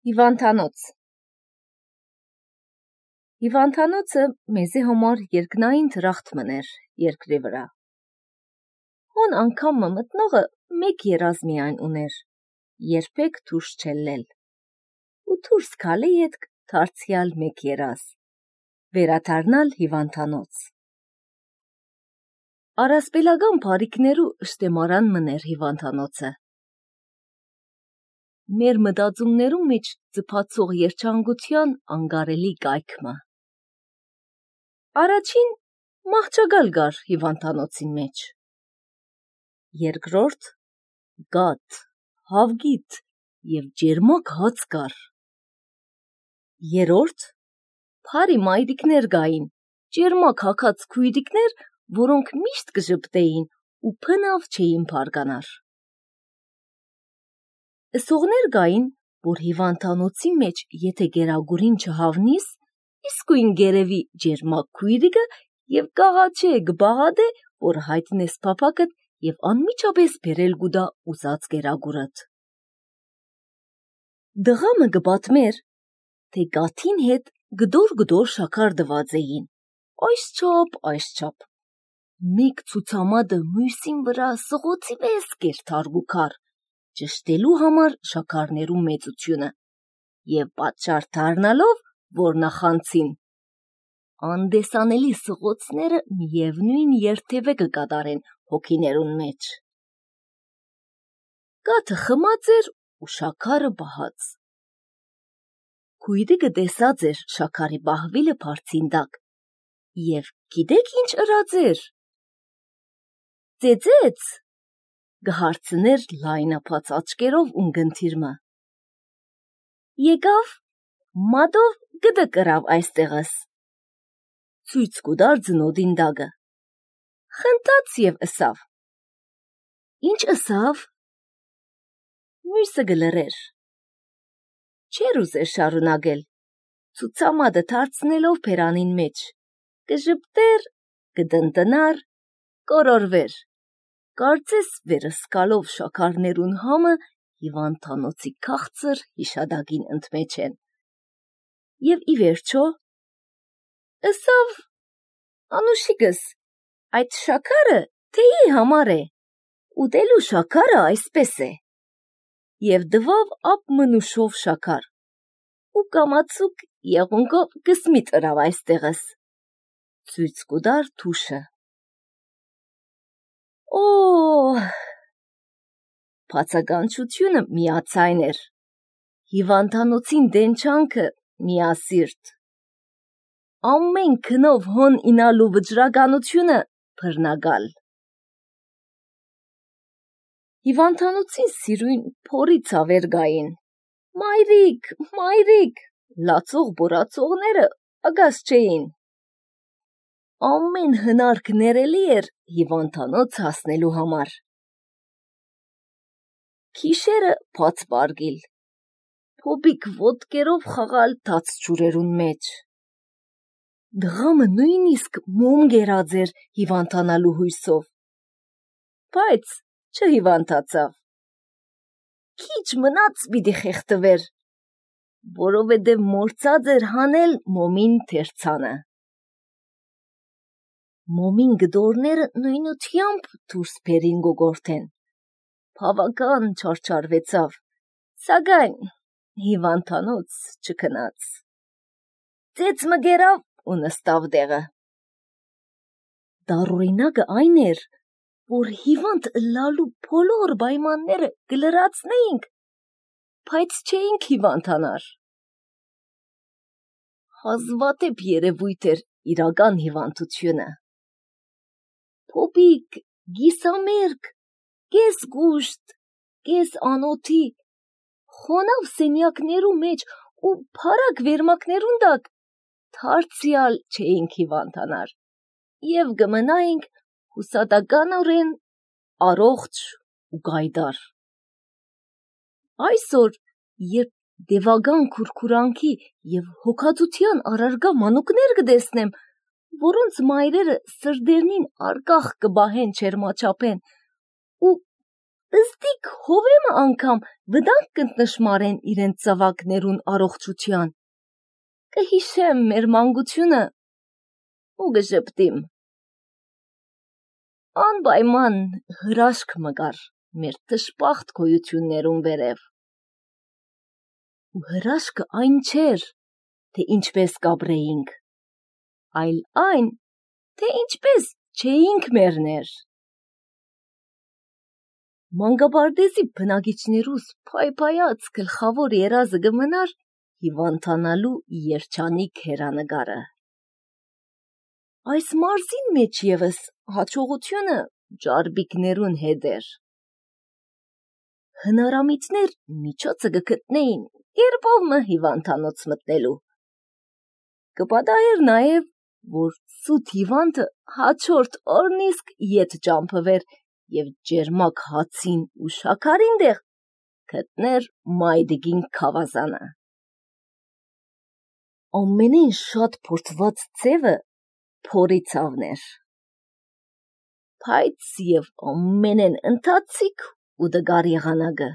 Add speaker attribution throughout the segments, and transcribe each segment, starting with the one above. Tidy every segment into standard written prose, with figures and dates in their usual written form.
Speaker 1: Հիվանդանոց Հիվանդանոցը մեզի համար երկնային դրախտմն էր երկրի վրա։ Հոն անգամը մտնողը մեկ երազ միայն ուներ, երբեք դուրս չելնել, ու դուրս գալի ետք դարձյալ մեկ երազ, վերադառնալ հիվանդանոց։ Առասպելական բարիքներու շտեմարան մներ հիվանդանոցը։ Մեր մտածումներու մեջ ձգացող երջանկության անգարելի կայքմը։ Առաջին մահճագալ կար հիվանդանոցին մեջ։ Երկրորդ գաթ, հավգիտ եւ ջերմակ հաց կար։ Երրորդ բարի մայրիկներ կային, ջերմակ հագած քույրիկներ, որոնք միշտ կժպտեին ու փնավ չէին բարգանար։ Սողներ կային, որ հիվանդանոցի մեջ եթե գերագուրին չհավնիս, իսկույն գերևի ջերմակ քույրիկը եւ կաղաչե կբաղադե, որ հայտնես փափակդ եւ անմիջապես բերել գուդա ուզած գերագուրդ։ Դղամը կպատմեր, թե գաթին հետ գդոր շաքար դված էին, այս չափ, մեկ ցուցամադը մույսին վրա սղոցի պես կերթարգուքար, ճշտելու համար շաքարներու մեծությունը եւ պատճառ դառնալով, որ նախանցին, անդեսանելի սղոցները միևնույն երթևէ կկատարեն հոգիներուն մեջ։ Գաթը խմած էր ու շաքարը բահած։ Քույրիկը տեսած էր շաքարի բահվիլը բարձին տակ եւ գիտեք ինչ ըրած էր։ Ծեծեց, գհարցներ լայնապած աչկերով ունգընթիրմը։ Եկավ, մատով գդը կրավ այստեղս։ Ցույց կուդար ձնոդին դագը։ Խնդաց եւ ըսավ։ Ինչ ըսավ։ Մույսը գլրեր։ Չեր ուզեր շարունակել, ցուցամադը դարձնելով բերանին մեջ, կժպտեր, կդնտնար, կորորվեր, կարծես վերսկալով շաքարներուն համը հիվանդանոցի քաղցր հիշադակին ընդմեջ են։ Եվ ի վերջո, ըսավ, անուշիկս, այդ շաքարը թեյի համար է, ուտելու շաքարը այսպես է։ Եվ դվավ ապ մնուշով շաքար, ու կամացուկ եղունգով կսմիտ ըրավ այստեղս, ցույց կուդար թուշը։ Բացականչությունը միացայն էր, հիվանդանոցին դենչանքը միասիրտ, ամեն քնով հոն ինալու վճռականությունը բռնագալ։ Հիվանդանոցին սիրույն փորի ցավեր գային, մայրիկ, լացող բորացողները ագաս չէին։ Ամեն հնարք ներելի էր հիվանդանոց հասնելու համար։ Քիշերը բաց պարգիլ, փոբիկ ոտկերով խաղալ թաց ջուրերուն մեջ։ Դղամը նույնիսկ մոմ գերած էր հիվանդանալու հույսով, բայց չհիվանդացավ։ Քիչ մնաց պիտի խեղդվեր, որովհետև մորցած էր հանել մոմին թերցանը։ Մոմին գդորները նույնությամբ դուրս բերին գոգորթեն, բավական չարչարվեցավ, սակայն հիվանդանոց չքնաց։ Ծեծ մգերավ ու նստավ դեղը։ Դառօրինակը այն էր, որ հիվանդ ըլլալու բոլոր պայմանները կլրացնեինք, բայց չէինք հիվանդանար։ Հազվադեպ երևույթ էր իրական հիվանդությունը։ Փոբիկ, գիսամերկ, կես գուշտ, կես անոթի, խոնավ սենյակներու մեջ ու փարակ վերմակներուն տակ դարձյալ չէինք հիվանդանար եւ կմնայինք հուսադականորեն առողջ ու գայդար։ Այսօր, երբ դևական քուրքուրանքի եւ հոգածության առարգա մանուկներ կտեսնեմ, որոնց մայրերը սրդերնին արկախ կբահեն չերմաչափեն ու Ըստիք հովեմը անգամ վտանգ կընտնշմարեն իրենց ծավակներուն առողջության։ Կհիշեմ մեր մանկությունը ու կժպտիմ։ Անպայման հրաշք մգար մեր թշպախտ գոյություններուն վերև։ Ու հրաշքը այն չէր, թե ինչպես կապրեինք, այլ այն, թե ինչպես չէինք մերներ։ Մանկապարտեզի բնակիչներուս փայփայած գլխավոր երազը կմնար հիվանդանալու երջանիկ հերանեկարը։ Այս մարզին մեջ ևս հաջողությունը ճարպիկներուն հետ էր։ Հնարամիցներ միջոցը կգտնեին կերպով հիվանդանոց մտնելու։ Կպատահեր նաև, որ սուտ հիվանդը հաջորդ օրն իսկ ետ ճամփվեր և ջերմակ հացին ու շաքարին դեղ գտներ մայրիկին քավազանը։ Ամենեն շատ փորձված ձևը փորի ցավն էր, բայց և ամենեն ընթացիկ ու դգար եղանակը։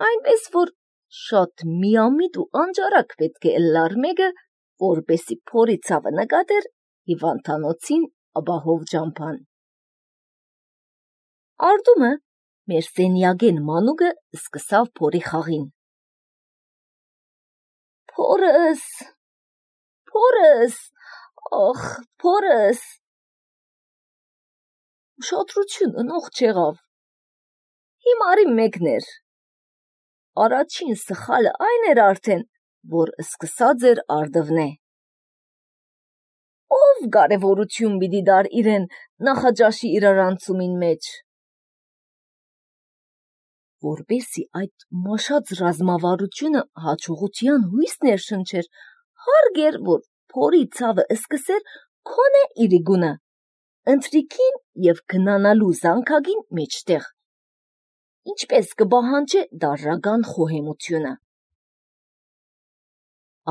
Speaker 1: Այնպես որ շատ միամիտ ու անջարակ պետք է ըլլար մեկը, որպեսի փորի ցավը նկատեր հիվանդանոցին ապահով ճամփան։ Արտումը մեր սենյակեն մանուկը սկսավ փորի խաղին։ Փորս, փորս, ախ, փորս։ Ուշադրություն ընող չեղավ։ Հիմարի մեկն էր։ Առաջին սխալը այն էր արդեն, որ սկսած էր արդվնե։ Ով կարևորություն պիտի դար իրեն նախաճաշի իրարանցումին մեջ։ Որպեսի այդ մաշած ռազմավարությունը հաջողության հույս ներշնչեր, հարկ էր, որ փորի ցավը սկսեր քոնե իր գունը, ընթրիքին և քնանալու զանգակին մեջտեղ, ինչպես կպահանջե դարրական խոհեմությունը։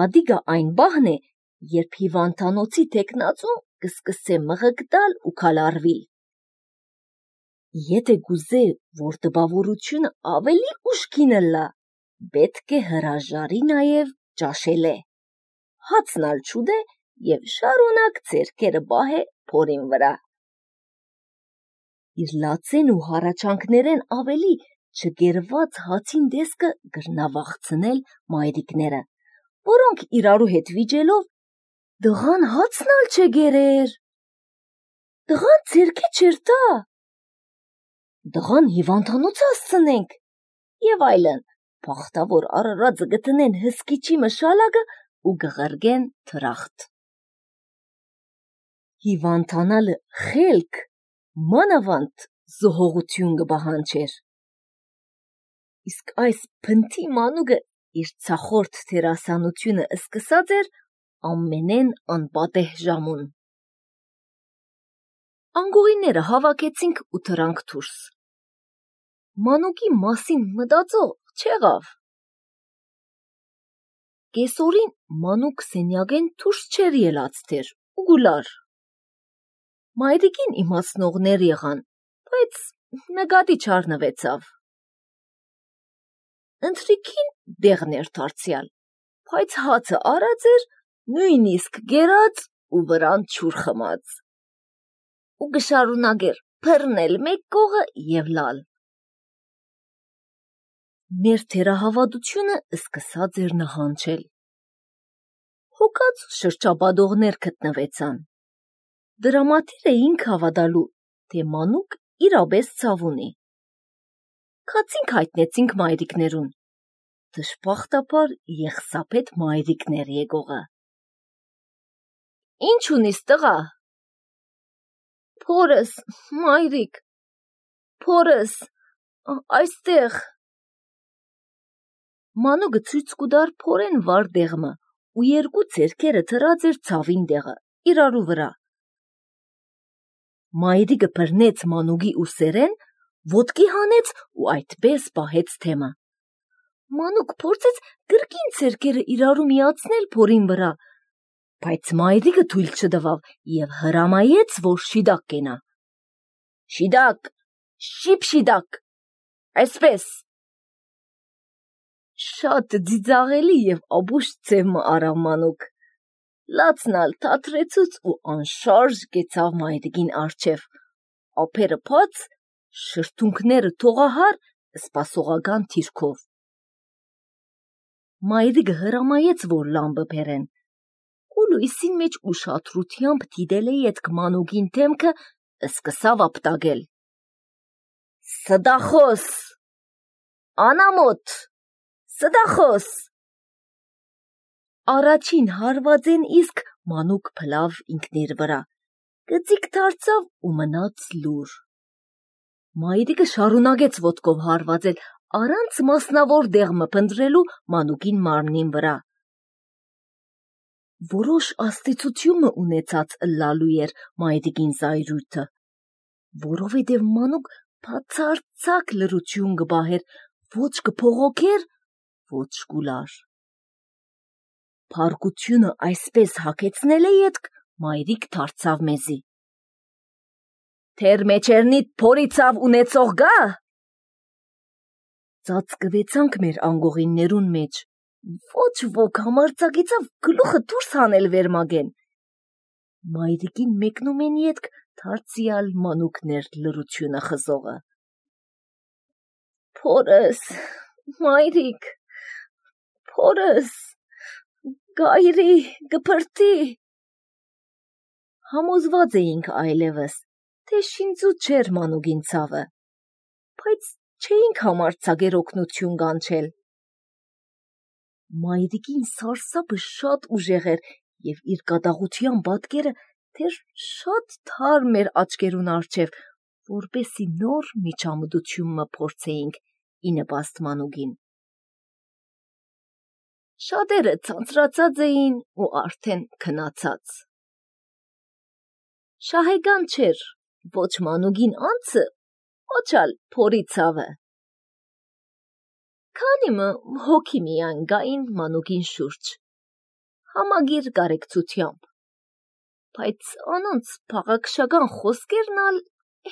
Speaker 1: Ադիգա այն բահն է, երբ հիվանդանոցի թեկնածուն կսկսե մղկտալ ու քալարվիլ։ Եթե գուզե, որ տպավորությունը ավելի ուշքին ըլլա, պետք է հրաժարի նաև ճաշելե, հացնալ չուտե և շարունակ ձեռքերը պահե փորին վրա։ Իր լացեն ու հառաչանքներեն ավելի չգերված հացին տեսքը կրնավախցնել մայրիկները, որոնք իրարու հետ վիճելով «Դղան հացնալ չէ գերեր, դղան ձերքի չեր տա, դղան հիվանդանոց ասցնենք» և այլն, բախտավոր արարածը գտնեն հսկիչի մշալակը ու գղրգեն թրախտ։ Հիվանդանալը խելք, մանավանդ զոհողություն կպահանջեր։ Իսկ այս փնթի մանուկը իր ցախորդ դերասանությունը սկսած էր ամենեն անպատեհ ժամուն։ Անգողիները հավաքեցինք ու թռանք դուրս։ Մանուկի մասին մտածող չեղավ։ Կեսօրին մանուկ սենյակեն դուրս չէր ելած դեր ու գուլար։ Մայրիկին իմացնողներ եղան, բայց նկատի չառնվեցավ։ Ընթրիքին դեղն էր դարձյալ, բայց հացը արած էր, նույնիսկ գերած ու վրան ջուր խմած։ Ու կշարունակեր բռնել մեկ կողը և լալ։ Մեր թերահավատությունը սկսած էր նահանջել։ Հոգած շրջապատողներ գտնվեցան։ Դրամատիր էինք հավատալու, թե մանուկ իրապես ցավ ունի։ Քացինք հայտնեցինք մայրիկներուն։ Դժբախտաբար եղսապետ մայրիկներ եկողը։ Ինչ ունիս տղա։ Փորս, մայրիկ, փորս, այստեղ։ Մանուկը ցույց կուտար փորեն վար դեղմը ու երկու ձեռքերը թրած էր ցավին դեղը, իրարու վրա։ Մայրիկը բռնեց մանուկի ուսերեն, ոտքի հանեց ու այդպես պահեց թեմը։ Մանուկ փորձեց կրկին ձեռքերը իրարու միացնել փորին վրա, բայց մայրիկը թույլ չտվավ և հրամայեց, որ շիդակ կենա։ Շիդակ, Շիպշիդակ, այսպես։ Շատ ձիձաղելի և ապուշ ձևը արավ մանուկ, լացնալ թատրեցուց ու անշարժ կեցավ մայրիկին արջև, ափերը փած, շրթունքները թողահար սպասողական թիրքով։ Մայրիկը հրամայեց, որ լամպը բերեն, ու լույսին մեջ ուշադրությամբ դիտել է ետք մանուկին դեմքը, սկսավ ապտակել. Ստախոս, անամոթ, ստախոս։ Առաջին հարվածեն իսկ մանուկ փլավ ինքնիր վրա, գծիկ դարձավ ու մնաց լուր։ Մայրիկը շարունակեց ոտքով հարվածել, առանց մասնավոր դեղմը փնտրելու մանուկին մարմնին վրա։ Որոշ աստեցությունը ունեցած լալու էր մայրիկին զայրույթը, որովհետև մանուկ բացարձակ լռություն կպահեր, ոչ կփողոքեր, ոչ կուլար։ Փառքությունը այսպես հագեցնել է ետք, մայրիկ դարձավ մեզի. Թեր մեջերնիդ փորիցավ ունեցող գա։ Ծածկվեցանք մեր անգողիններուն մեջ, ոչ ոք համարձակեցավ գլուխը դուրս հանել վերմագեն։ Մայրիկին մեկնում են ետք դարձյալ մանուկներ լռությունը խզողը. Փորս, մայրիկ, փորս, գայրի, գպրտի։ Համոզված էինք այլևս, թե շինծու չէր մանուկին ցավը, բայց չէինք համարձակեր օգնություն կանչել։ Մայրիկին սարսափը շատ ուժեղ էր և իր կատաղության պատկերը դեռ շատ թարմ էր աչքերուն առջև, որպեսզի նոր միջամտությունը փորձեինք ի նպաստ մանուկին։ Շատերը ցանցրացած էին ու արդեն քնացած։ Շահեգան չէր ոչ մանուկին անձը, ոչ ալ փորի ցավը։ Քանիմը հոգի միայն գային մանուկին շուրջ, համագիր կարեկցությամբ, բայց անոնց փաղաքշական խոսքերն ալ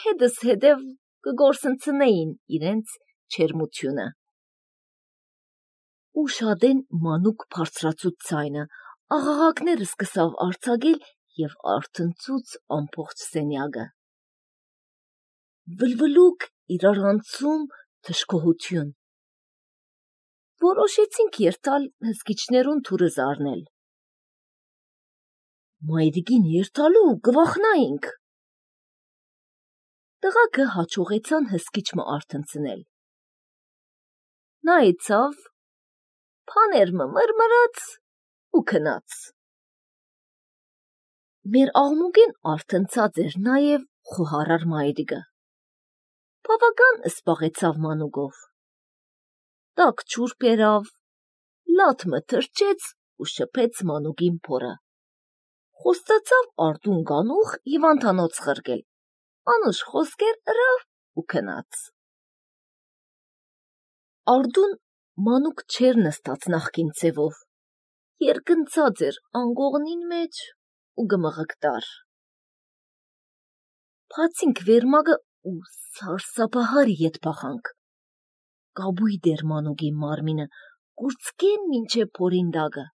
Speaker 1: հետս հետև կգործընծնեին իրենց չերմությունը։ Ուշադեն մանուկ բարձրացուց ձայնը, աղաղակները սկսավ արձակել և արթնցուց ամբողջ սենյակը։ Վլվլուկ, իրարանցում, թշկողություն։ Որոշեցինք երթալ հսկիչներուն թուրը զարնել։ Մայրիկին երթալու կվախնայինք։ Տղաքը հաջողեցան հսկիչը արթնցնել։ Նայեցավ, բաներմը մրմրաց ու քնաց։ Մեր աղմուկեն արթնցած էր նաև խոհարար մայրիկը։ Բավական սպաղեցավ մանուկով։ Տաք ջուր բերավ, լաթմը թրջեց ու շփեց մանուկին փորը։ Խոստացավ արդուն գանուխ հիվանդանոց խրկել, անուշ խոսքեր ըրավ ու քնաց։ Արդուն մանուկ չէր նստած նախկին ձևով, երկնցած էր անգողնին մեջ ու գմղկտար։ Բացինք վերմագը ու սարսափահար ետ բախանք։ Կապույտ էր մանուկի մարմինը, կուրծքեն մինչև փորին դագը։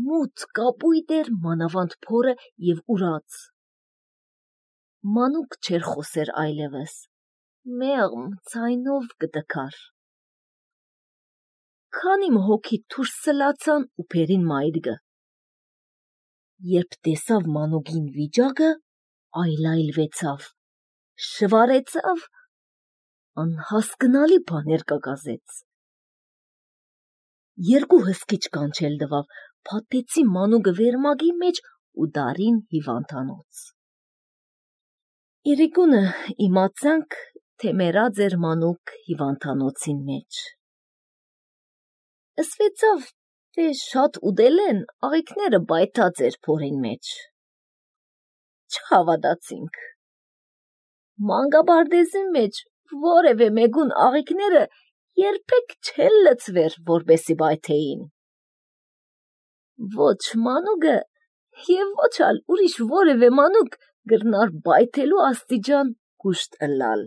Speaker 1: Մութ կապույտ էր մանավանդ փորը և ուրած։ Մանուկ չէր խոսեր այլևս, մեղմ ձայնով կտքար։ Քանիմ հոգի դուրս սլացան ու բերին մայրիկը։ Երբ տեսավ մանուկին վիճակը, այլայլվեցավ, շվարեցավ, անհասկնալի բաներ կկազեց։ Երկու հսկիչ կանչել տվավ, փաթեցի մանուկը վերմագի մեջ ու դարին հիվանդանոց։ Իրիկունը իմացանք, թե մեռած էր մանուկ հիվանդանոցին մեջ։ Ասվեցավ, թե շատ ուտել են, աղիքները բայթած էր փորին մեջ։ Չհավատացինք։ Մանկապարտեզի մեջ որևէ մեկուն աղիքները երբեք չեն լցվեր, որպեսի բայթեին։ Ոչ մանուկը և ոչ ալ ուրիշ որևէ մանուկ գրնար բայթելու աստիճան հուշտ ըլլալ։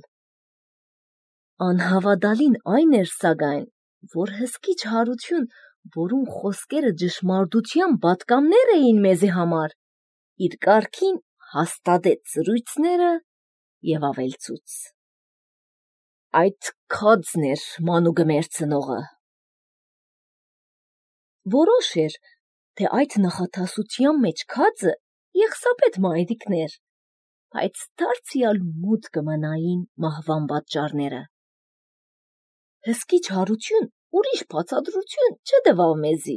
Speaker 1: Անհավատալին այն էր սակայն, որ հսկիչ հարություն, որում խոսքերը ճշմարտության պատկամներ էին մեզի համար, իր կարգին հաստատեց զրույցները և ավելցուց. այդ քածն էր մանուկը մերցնողը։ Որոշ էր, թե այդ նախատասության մեջ քածը Եղսապետ մայրիկն էր, բայց դարձյալ մութ կմնային մահվան պատճառները։ Հսկիչ հարություն ուրիշ բացատրություն չտվավ մեզի,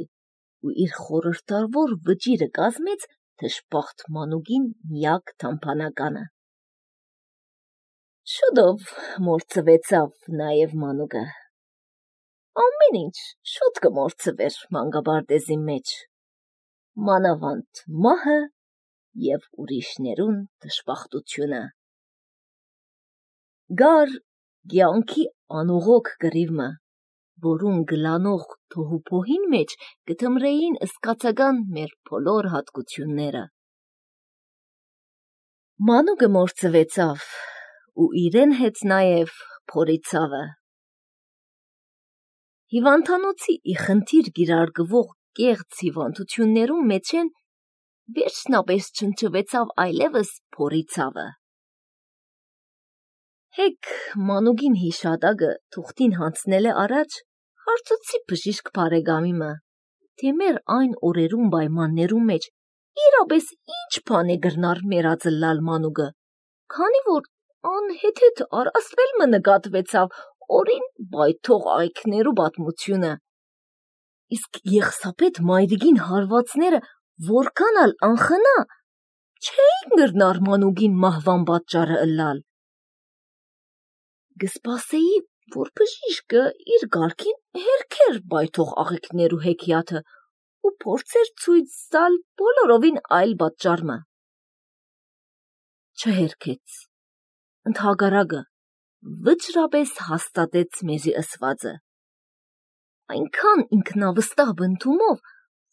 Speaker 1: ու իր խորհրդավոր վճիռը կազմեց դժբախտ մանուկին միակ թամփանականը։ Շուտով մորցվեցավ նաև մանուկը։ Ամեն ինչ շուտ կմորցվեր մանկապարտեզի մեջ, մանավանդ մահը և ուրիշներուն դժբախտությունը։ Գար կյանքի անողոք կռիվը, որուն գլանող թոհուբոհին մեջ կդմրեին սկացական մեր բոլոր հատկությունները։ Մանուկը մորցվեցավ ու իրեն հետ նաև փորի ցավը։ Հիվանդանոցի ի խնդիր գիրարգվող կեղծ հիվանդություններում մեջեն վերջնապես չնչվեցավ այլևս փորի ցավը։ Հեկ մանուկին հիշատակը թուղթին հանձնել է առաջ, հարցուցի բժիշկ բարեկամիմը, թե մեր այն օրերուն պայմաններում մեջ իրապես ինչ բան է գրնար մերածլալ մանուկը, քանի որ անհեթեթ առասպել մը նկատվեցավ օրին բայթող աղիքներու պատմությունը։ Իսկ Եղսապետ մայրիկին հարվածները որքան ալ անխնա չէին գրնար մանուկին մահվան պատճառը ըլլալ։ Կսպասեի, որ բժիշկը իր կարգին հերքեր բայթող աղիքներու հեքիաթը ու փորձեր ցույց տալ բոլորովին այլ պատճառը։ Չհերքեց, ընդհակառակը վճռապես հաստատեց մեզի ըսվածը, այնքան ինքնավստահ բնդումով,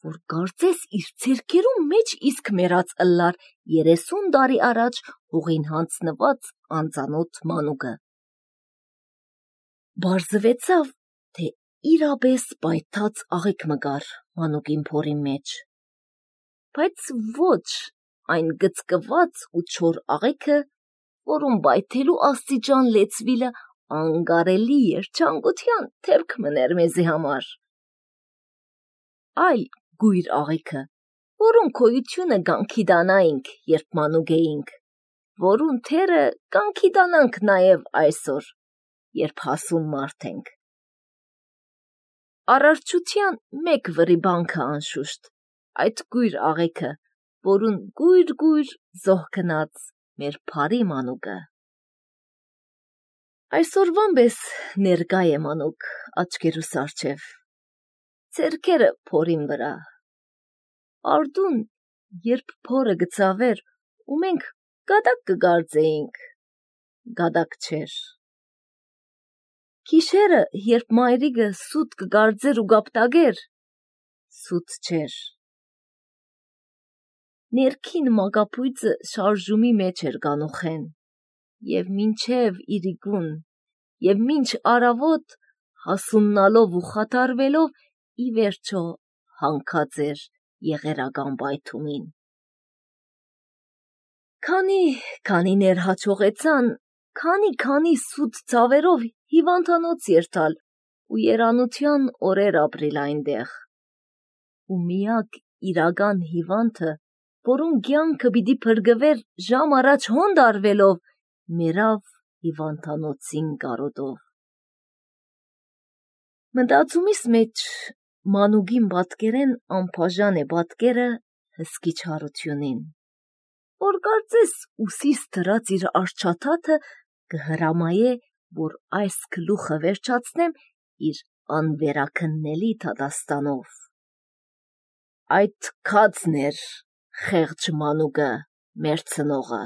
Speaker 1: որ կարծես իր ձեռքերու մեջ իսկ մեռած ըլլար 30 տարի առաջ հողին հանձնված անծանոթ մանուկը։ Բարձվեցավ, թե իրապես պայթած աղիք մը կար մանուկին փորի մեջ, բայց ոչ այն գծկված ու չոր աղիքը, որում պայթելու աստիճան լեցվիլը անկարելի երջանկության դեպք մներ մեզի համար, այլ գույր աղիքը, որուն գոյությունը կանգիդանայինք, երբ մանուկ էինք, որուն թերը կանգիդանանք նաև այսօր, երբ հասուն մարդ ենք։ Արարչության մեկ վրիբանքը անշուշտ, այդ գույր աղիքը, որուն գույր զոհ գնաց մեր բարի մանուկը։ Այսօրվան պես ներկա է մանուկ աչքերուս առջև, ձեռքերը փորին վրա։ Արդուն, երբ փորը գծավեր ու մենք գադակ կգարձեինք, գադակ չէր։ Գիշերը, երբ մայրիկը սուտ կգարձեր ու կապտագեր, սուտ չէր։ Ներքին մակապույծը շարժումի մեջ էր կանուխեն, և մինչև իրիկուն, և մինչ արավոտ հասուննալով ու խաթարվելով ի վերջո հանքած էր եղերական պայթումին։ Քանի հաջողեցան, քանի սուտ ցավերով հիվանդանոց երթալ ու երանության օրեր ապրիլ այնտեղ։ Ու միակ իրական հիվանդը, որուն կյանքը պիտի փրկվեր ժամ առաջ հոնդ արվելով, մեռավ հիվանդանոցին կարոտով։ Մտածումիս մեջ մանուկին պատկերեն անբաժան է պատկերը հսկիչ հարությունին, որ կարծես ուսիս դրած իր արջաթաթը կհրամայե, որ այս գլուխը վերջացնեմ իր անվերաքննելի դատաստանով։ Այդ քածն էր խեղճ մանուկը մերցնողը։